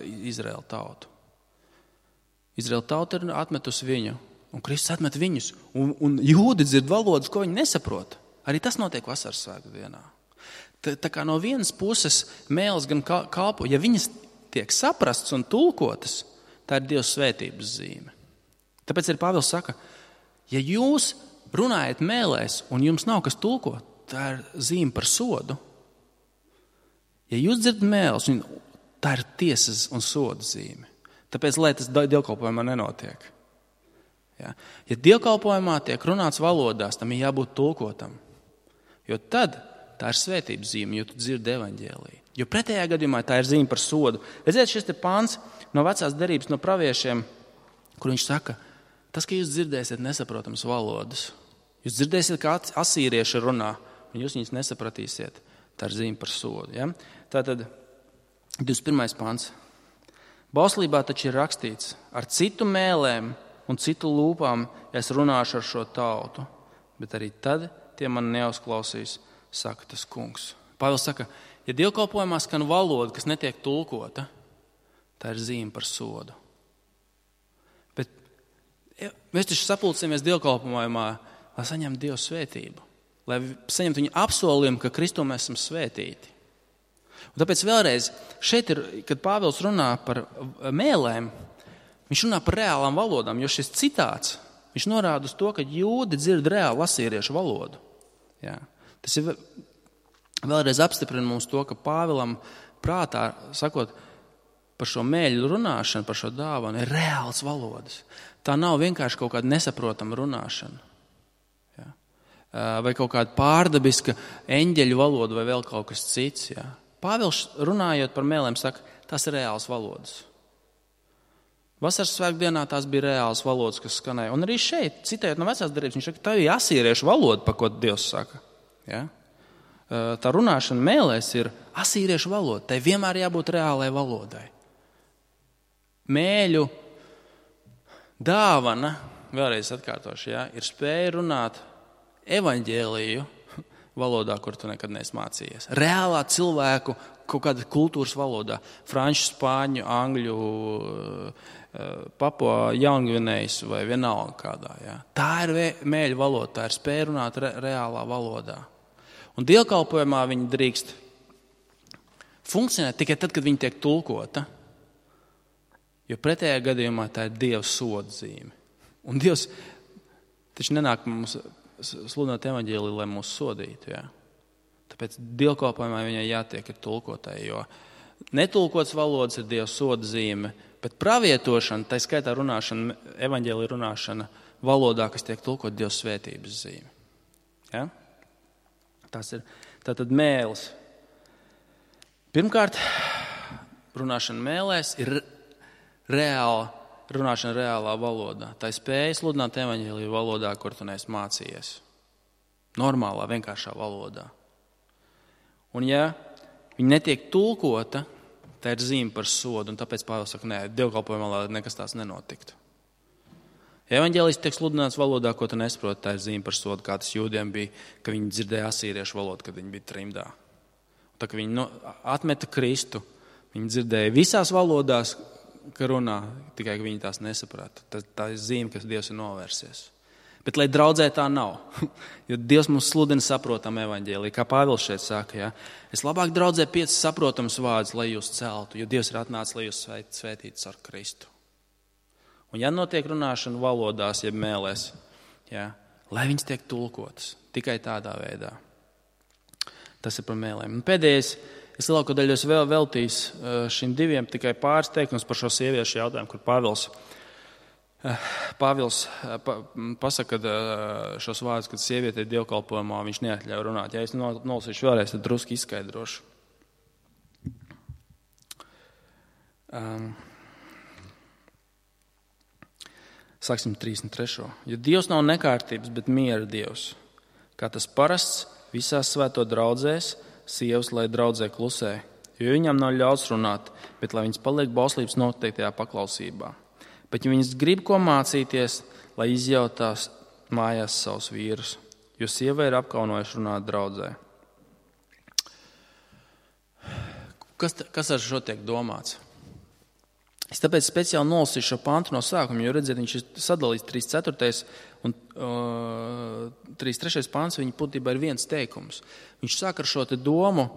Izraēla tautu. Izraēla tauta ir atmetusi viņu, un Kristus atmet viņus, un jūdi dzird valodas, ko viņi nesaprot. Arī tas notiek vasaras svētku dienā. Tā kā no vienas puses mēles gan kalpo, ja viņas tiek saprasts un tulkotas, tā ir Dieva svētības zīme. Tāpēc arī Pāvils saka, ja jūs runājat mēlēs un jums nav kas tulko, tā ir zīme par sodu. Ja jūs dzirdat mēles, tā ir tiesas un soda zīme. Tāpēc, lai tas dievkalpojumā nenotiek. Ja dievkalpojumā tiek runāts valodās, tam ir jābūt tulkotam. Jo tad tā ir svētības zīme, jo tu dzirdi evaņģēliju. Jo pretējā gadījumā tā ir zīme par sodu. Redziet, šis te pāns no vecās derības, no praviešiem, kur viņš saka, tas, ka jūs dzirdēsiet nesaprotams valodas, jūs dzirdēsiet, kā asīrieši runā, un jūs viņus nesapratīsiet, tā ir zīme par sodu. Ja? Tātad 21. pāns. Bauslībā taču ir rakstīts, ar citu mēlēm un citu lūpām es runāšu ar šo tautu, bet arī tad tie man neuzklausīs, saka tas kungs. Pāvils saka, ja dievkalpojumā skan valoda, kas netiek tulkota, tā ir zīme par sodu. Bet mēs taču sapulcējamies dievkalpojumā, lai saņemtu Dieva svētību, lai saņemtu viņa apsolījumu, ka Kristū mēs esam svētīti. Un tāpēc vēlreiz, šeit ir, kad Pāvils runā par mēlēm, viņš runā par reālām valodām, jo šis citāts, viņš norāda uz to, ka jūdi dzird reāli asīriešu valodu. Jā. Tas ir vēlreiz apstiprina mums to, ka Pāvilam prātā, sakot, par šo mēļu runāšanu, par šo dāvanu, ir reāls valodas. Tā nav vienkārši kaut kāda nesaprotama runāšana. Jā. Vai kaut kāda pārdabiska eņģeļu valoda vai vēl kaut kas cits. Jā. Pāvils runājot par mēlēm saka, tas ir reāls valodas. Vasaras svētku dienā tās bija reāls valodas, kas skanēja. Un arī šeit, citējot no vecās derības, viņš saka, tā ir asīriešu valoda, par ko Dievs saka. Ja? Tā runāšana mēlēs ir asīriešu valoda, tai vienmēr jābūt reālai valodai. Mēļu dāvana, vēlreiz atkārtošu, ir spēja runāt evaņģēliju valodā, kur tu nekad neesi mācījies. Reālā cilvēku kaut kāda kultūras valodā. Franču, spāņu, angļu, Papua Jaungvinējas vai vienalga kādā. Ja. Tā ir mēļu valoda, tā ir spēja runāt reālā valodā. Un dievkalpojumā viņi drīkst funkcionēt tikai tad, kad viņi tiek tulkota. Jo pretējā gadījumā tā ir Dieva soda zīme. Un Dievs taču nenāk mums sludināt evaņģēliju, lai mūs sodītu. Ja? Tāpēc dievkalpojumā viņai jātiek ir tulkotai, jo netulkots valodas ir Dieva soda zīme, bet pravietošana, tā skaitā runāšana, evaņģēlija runāšana valodā, kas tiek tulkot Dieva svētības zīme. Ja? Tas ir tātad mēlis. Pirmkārt, runāšana mēlēs ir runāšana reālā valodā. Tā ir spēja sludināt evaņģēliju valodā, kur tu neesi mācījies. Normālā, vienkāršā valodā. Un ja viņi netiek tulkota, tā ir zīme par sodu, un tāpēc Pāvils saka, nē, dievkalpojumā, lai nekas tās nenotiktu. Evaņģēlijs tiek sludināts valodā, ko tu nesaproti, tā ir zīme par sodu, kā tas jūdiem bija, ka viņi dzirdēja asīriešu valodu, kad viņi bija trimdā. Tā, ka viņi atmeta Kristu, viņi dzirdēja visās valodās, ka runā, tikai ka viņi tās nesaprata. Tā ir zīme, kas Dievs ir novērsies. Bet, lai draudzē tā nav, jo Dievs mums sludina saprotam evaņģēliju, kā Pāvils šeit saka, ja? Es labāk draudzē 5 saprotams vārdus, lai jūs celtu, jo Dievs ir atnācis, lai jūs svētītu ar Kristu. Un ja notiek runāšana valodās, jeb mēlēs, ja? Lai viņas tiek tulkotas, tikai tādā veidā. Tas ir par mēlēm. Un pēdējais, es lielāko daļu vēl veltīs šim 2 tikai pāris teikums par šo sieviešu jautājumu, kur Pāvils pasaka šos vārdus, kad sieviete ir dievkalpojumā, viņš neatļauj runāt. Ja es nolasīšu vēlreiz, tad drusku izskaidrošu. Sāksim 33. Jo Dievs nav nekārtības, bet miera Dievs. Kā tas parasts visās svēto draudzēs, sievas, lai draudzē klusē, jo viņām nav ļauts runāt, bet lai viņas paliek bauslības noteiktajā paklausībā. Bet ja viņas grib ko mācīties, lai izjautās mājās savus vīrus, jo sieva ir apkaunojuši runāt draudzē. Kas ar šo tiek domāts? Es tāpēc speciāli nolasīšu šo pantu no sākuma, jo redziet, viņš ir sadalīts 3.4. un 3.3. pants, viņa būtībā ir viens teikums. Viņš sāk ar šo te domu,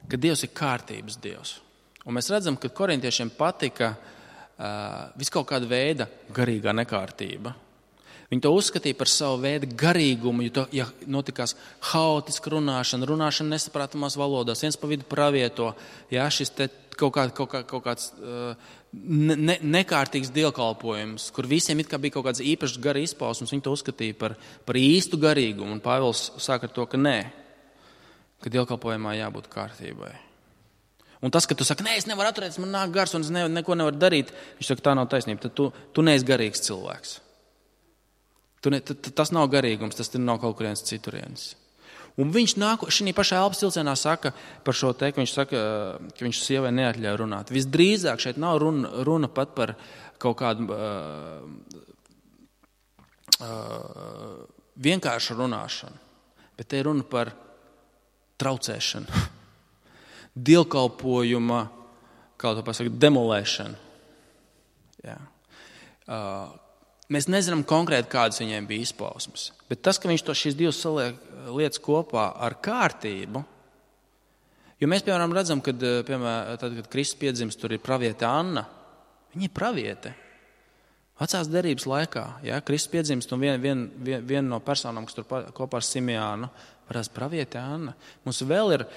ka Dievs ir kārtības Dievs. Un mēs redzam, ka korintiešiem patika viskaut kāda veida garīgā nekārtība. Viņi to uzskatīja par savu veidu garīgumu, ja notikās haotiska runāšana nesaprātamās valodās, viens pa vidu pravieto, ja šis te kaut kāds nekārtīgs dievkalpojums, kur visiem it kā bija kaut kāds īpašs gara izpausums, viņi to uzskatīja par īstu garīgumu. Un Pāvils sāk ar to, ka nē, ka dievkalpojumā jābūt kārtībai. Un tas, ka tu saki, nē, es nevaru atturēties, man nāk gars un es neko nevaru darīt, viņš saka, tā nav taisnība, tad tu neesi garīgs cilvēks. Tas nav garīgums, tas nav kaut kurienes citurienes. Un viņš šī pašā elpas cilcienā saka par šo teikumu, viņš saka, ka viņš sievai neatļauj runāt. Visdrīzāk šeit nav runa pat par kaut kādu vienkāršu runāšanu, bet te ir runa par traucēšanu. Dievkalpojuma, kā to pasaka, demolēšanu. Jā. Mēs nezinām konkrēti, kādas viņiem bija izpausmes. Bet tas, ka viņš šīs divas saliek lietas kopā ar kārtību, jo mēs, piemēram, redzam, kad Kristus piedzimst, tur ir praviete Anna. Viņa ir praviete. Vecās derības laikā, ja, Kristus piedzimst un viena no personām, kas tur kopā ar Simeānu, parās praviete Anna. Mums vēl ir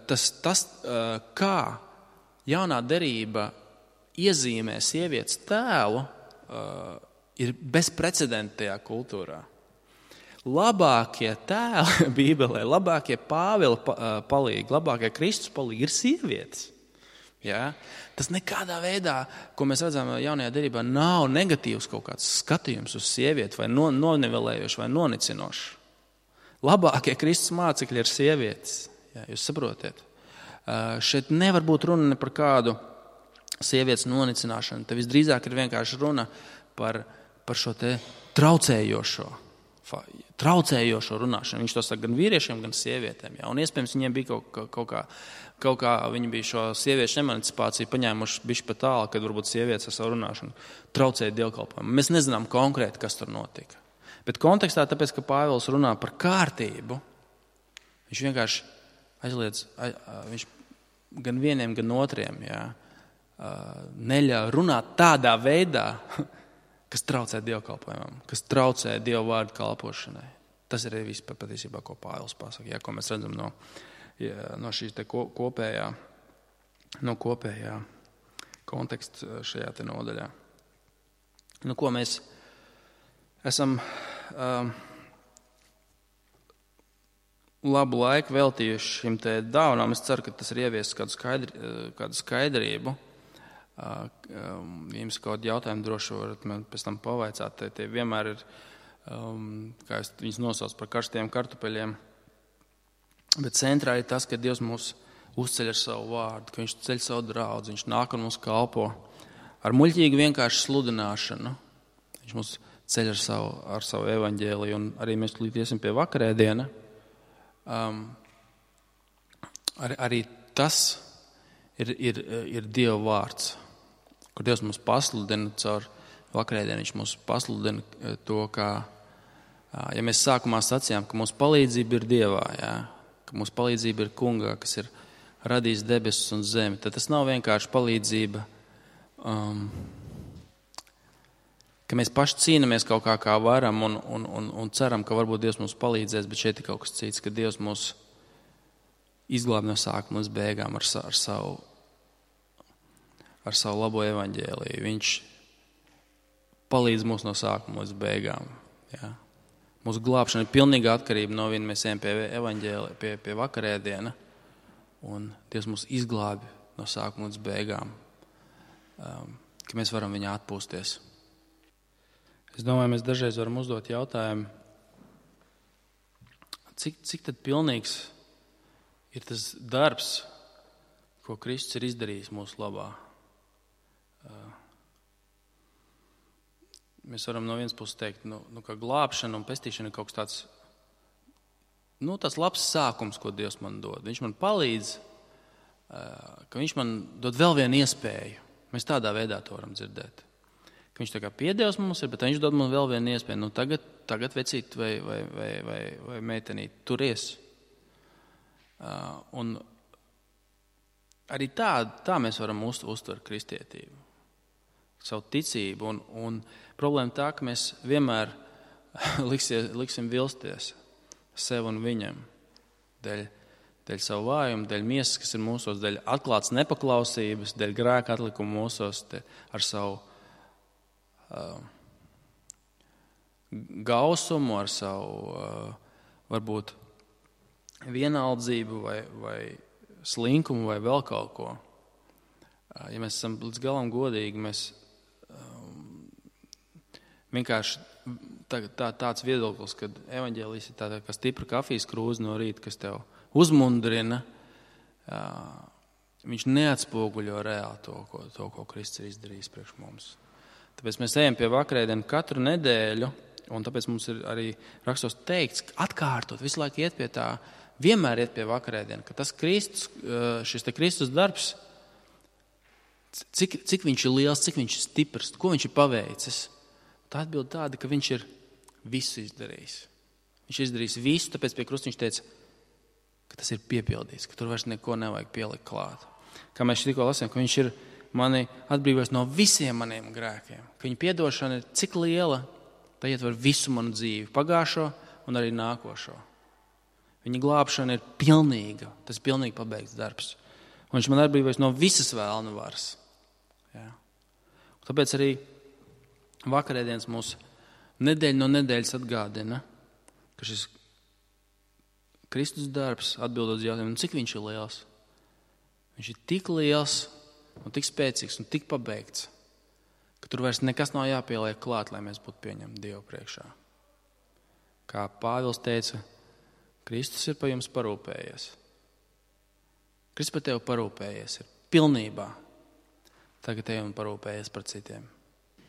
tas kā jaunā derība iezīmē sievietes tēlu, ir bezprecedentajā kultūrā. Labākie tēli Bībelē, labākie Pāvila palīgi, labākie Kristus palīgi ir sievietes. Ja? Tas nekādā veidā, ko mēs redzam jaunajā derībā, nav negatīvs kaut kāds skatījums uz sievieti vai nonivelējoši vai nonicinoši. Labākie Kristus mācekļi ir sievietes, ja, jūs saprotiet. Šeit nevar būt runa ne par kādu sievietes nonicināšanu. Te visdrīzāk ir vienkārši runa par šo te traucējošo runāšanu. Viņš to saka gan vīriešiem, gan sievietēm. Jā. Un iespējams viņiem bija kaut kā viņi bija šo sieviešu emancipāciju paņēmuši bišķi pa tālu, kad varbūt sievietes ar savu runāšanu traucēja dievkalpojumu. Mēs nezinām konkrēti, kas tur notika. Bet kontekstā, tāpēc, ka Pāvils runā par kārtību, viņš vienkārši aizliedz, viņš gan vieniem, gan otriem, neļauj runāt tādā veidā, kas traucē dievkalpojumam, kas traucē Dievu vārdu kalpošanai. Tas ir viss patiesībā, ko Pāvils pasaka, ko mēs redzam no šīs te kopējā konteksta šajā te nodaļā. Ko mēs esam labu laiku veltījuši šim te dāvanām. Es ceru, ka tas ir ieviesis kādu skaidrību. Jums kaut jautājumu droši varat man pēc tam pavaicāt. Tie vienmēr ir, kā es viņus nosaucu par karstiem kartupeļiem. Bet centrā ir tas, ka Dievs mūs uzceļ ar savu vārdu, ka viņš ceļ savu draudzi, viņš nāk un mums kalpo ar muļķīgu vienkārši sludināšanu. Viņš mūs ceļ ar savu evaņģēliju, un arī mēs līdz iesim pie vakarēdiena. Arī tas ir Dieva vārds, kur Dievs mums pasludina caur vakarēdienu. Viņš mums pasludina to, kā, ja mēs sākumā sacījām, ka mūsu palīdzība ir Dievā, ka mūsu palīdzība ir Kungā, kas ir radījis debesis un zemi, tad tas nav vienkārši palīdzība, ka mēs paši cīnamies kaut kā varam un ceram, ka varbūt Dievs mums palīdzēs, bet šeit ir kaut kas cits, ka Dievs mūs izglāb no sākuma līdz beigām ar savu labo evaņģēliju. Viņš palīdz mums no sākuma līdz beigām. Jā. Mūsu glābšana ir pilnīga atkarība no viņa. Mēs ejam pie evaņģēlija, pie vakarēdiena, un Dievs mūs izglābi no sākuma līdz beigām, ka mēs varam viņā atpūsties. Es domāju, mēs dažreiz varam uzdot jautājumu, cik tad pilnīgs ir tas darbs, ko Kristus ir izdarījis mūsu labā. Mēs varam no vienas puses teikt, ka glābšana un pestīšana ir kaut kas tāds labs sākums, ko Dievs man dod. Viņš man palīdz, ka viņš man dod vēl vienu iespēju. Mēs tādā veidā to varam dzirdēt. Ka viņš tā kā piedevs mums ir, bet viņš dod man vēl vienu iespēju. Tagad vecīt vai meitenīt, turies. Un arī tā mēs varam uztvert kristietību, savu ticību. Un problēma tā, ka mēs vienmēr liksim vilsties sev un viņam dēļ savu vājumu, dēļ miesas, kas ir mūsos, dēļ atklātas nepaklausības, dēļ grēka atlikuma mūsos, ar savu gausumu, ar savu varbūt vienaldzību vai slinkumu vai vēl kaut ko. Ja mēs esam līdz galam godīgi, mēs vienkārši tāds viedoklis, kad evaņģēlijs ir tāda kā stipra kafijas krūze no rīta, kas tev uzmundrina, viņš neatspoguļo reāli to, ko Kristus ir izdarījis priekš mums. Tāpēc mēs ejam pie vakarēdienu katru nedēļu, un tāpēc mums ir arī rakstos teikts, atkārtot, visu laiku iet pie tā, vienmēr iet pie vakarēdienu, ka tas šis te Kristus darbs, cik viņš ir liels, cik viņš ir stiprs, ko viņš ir paveicis. Tā atbild tāda, ka viņš ir visu izdarījis. Viņš ir izdarījis visu, tāpēc pie krusta viņš teica, ka tas ir piepildīts, ka tur vairs neko nevajag pielikt klāt. Kā mēs tikko lasījām, ka viņš ir mani atbrīvojis no visiem maniem grēkiem, ka viņa piedošana ir cik liela, tā ietver visu manu dzīvi, pagājušo un arī nākošo. Viņa glābšana ir pilnīga, tas ir pilnīgi pabeigts darbs. Un viņš man atbrīvojis no visas vēlna varas. Jā. Tāpēc arī vakarēdienas mūs nedēļa no nedēļas atgādina, ka šis Kristus darbs atbildot uz jautājumu, cik viņš ir liels. Viņš ir tik liels un tik spēcīgs un tik pabeigts, ka tur vairs nekas nav jāpieliek klāt, lai mēs būtu pieņemti Dievu priekšā. Kā Pāvils teica, Kristus ir par jums parūpējies. Kristus par tevi parūpējies ir pilnībā. Tagad ej un parūpējies par citiem.